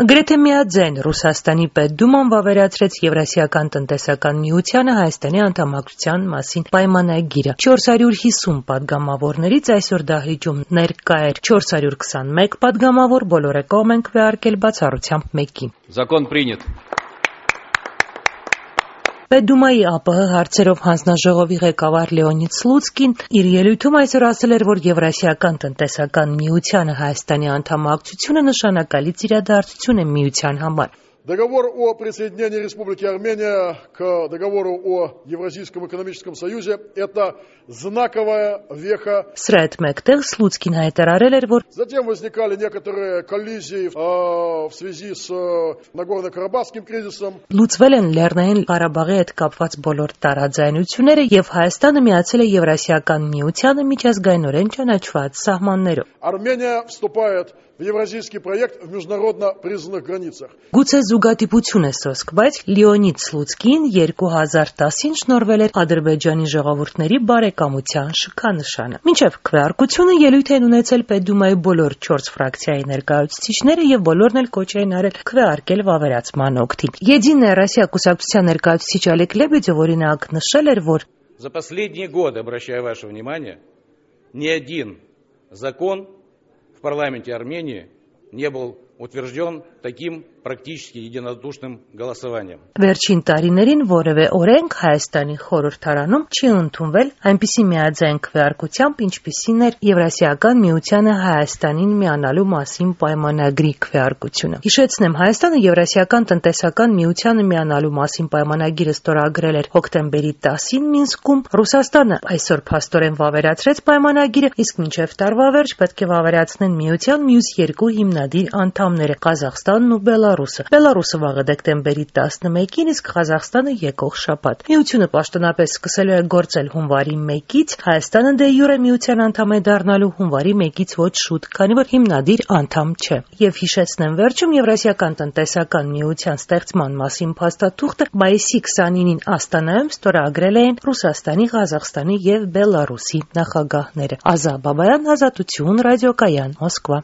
Գրեթե միաձայն Ռուսաստանի Պետդուման վավերացրեց Եվրասիական տնտեսական միությանը Հայաստանի անդամակցության մասին պայմանագիրը։ 450 պատգամավորներից այսօր դահլիճում ներկա էր 421 պատգամավոր, բոլորը կողմ են քվեարկել բացառությամբ մեկի։ Закон принят. Պետդումայի ԱՊՀ հարցերով հանձնաժողովի ղեկավար Լեոնիդ Սլուցկին իր ելույթում այսօր ասել էր, որ Եվրասիական տնտեսական միությանը Հայաստանի անդամակցությունը նշանակալից իրադարձություն է միության համար։ Договор о присоединении Республики Армения к договору о Евразийском экономическом союзе – это знаковая веха. Սրա հետ մեկտեղ Սլուցկին հայտարարել էր, որ Затем возникали некоторые коллизии в связи с Нагорно-Карабахским кризисом. Լուծվել են Լեռնային Ղարաբաղի հետ կապված բոլոր տարաձայնությունները եւ Հայաստանը միացել է Եվրասիական միությանը միջազգայինորեն ճանաչված սահմաններով։ Армения вступает в евразийский проект в международно признанных границах. Գուցե զուգադիպություն է սոսկ, բայց Լեոնիդ Սլուցկին 2010-ին շնորհվել էր Ադրբեջանի ժողովուրդների բարեկամության շքանշանը։ Մինչև քվեարկությունը ելույթ են ունեցել Պետդումայի բոլոր 4 ֆրակցիայի ներկայացուցիչները եւ բոլորն էլ կոչ էին արել քվեարկել վավերացման օգտին։ Եդինայա Ռոսիա կուսակցության ներկայացուցիչ Олег Лебедев օրինակ նշել էր, որ За последние годы, обращаю ваше внимание, ни один закон в парламенте Армении не был утвержден таким практически единодушным голосованием. Վերջին տարիներին որևէ օրենք Հայաստանի խորհրդարանում չի ընդունվել այնպիսի միաձայն քվեարկությամբ, ինչպիսին էր Եվրասիական միությանը Հայաստանին միանալու մասին պայմանագրի քվեարկությունը։ Հիշեցնեմ, Հայաստանը Եվրասիական տնտեսական միությանը միանալու մասին պայմանագիրը ստորագրել էր հոկտեմբերի 10-ին Մինսկում։ Ռուսաստանը այսօր փաստորեն վավերացրեց պայմանագիրը, իսկ մինչև տարվա վերջ պետք է վավերացնեն միության մյուս երկու հիմնադիր անդամները՝ Ղազախստանն ու Բելարուսը։ Բելարուսը վաղը դեկտեմբերի 11-ին, իսկ Ղազախստանը եկող շաբաթ։ Միությունը պաշտոնապես սկսելու է գործել հունվարի 1-ից, Հայաստանը դե յուրե միության անդամ է դառնալու հունվարի 1-ից ոչ շուտ, քանի որ հիմնադիր անդամ չէ։ Եվ հիշեցնեմ վերջում Եվրասիական տնտեսական միության ստեղծման մասին փաստաթուղթը մայիսի 29-ին Աստանայում ստորագրել էին Ռուսաստանի, Ղազախստանի եւ Բելարուսի նախագահները։ Ազա Բաբայան, Ազատություն, ռադիոկայան, Մոսկվա։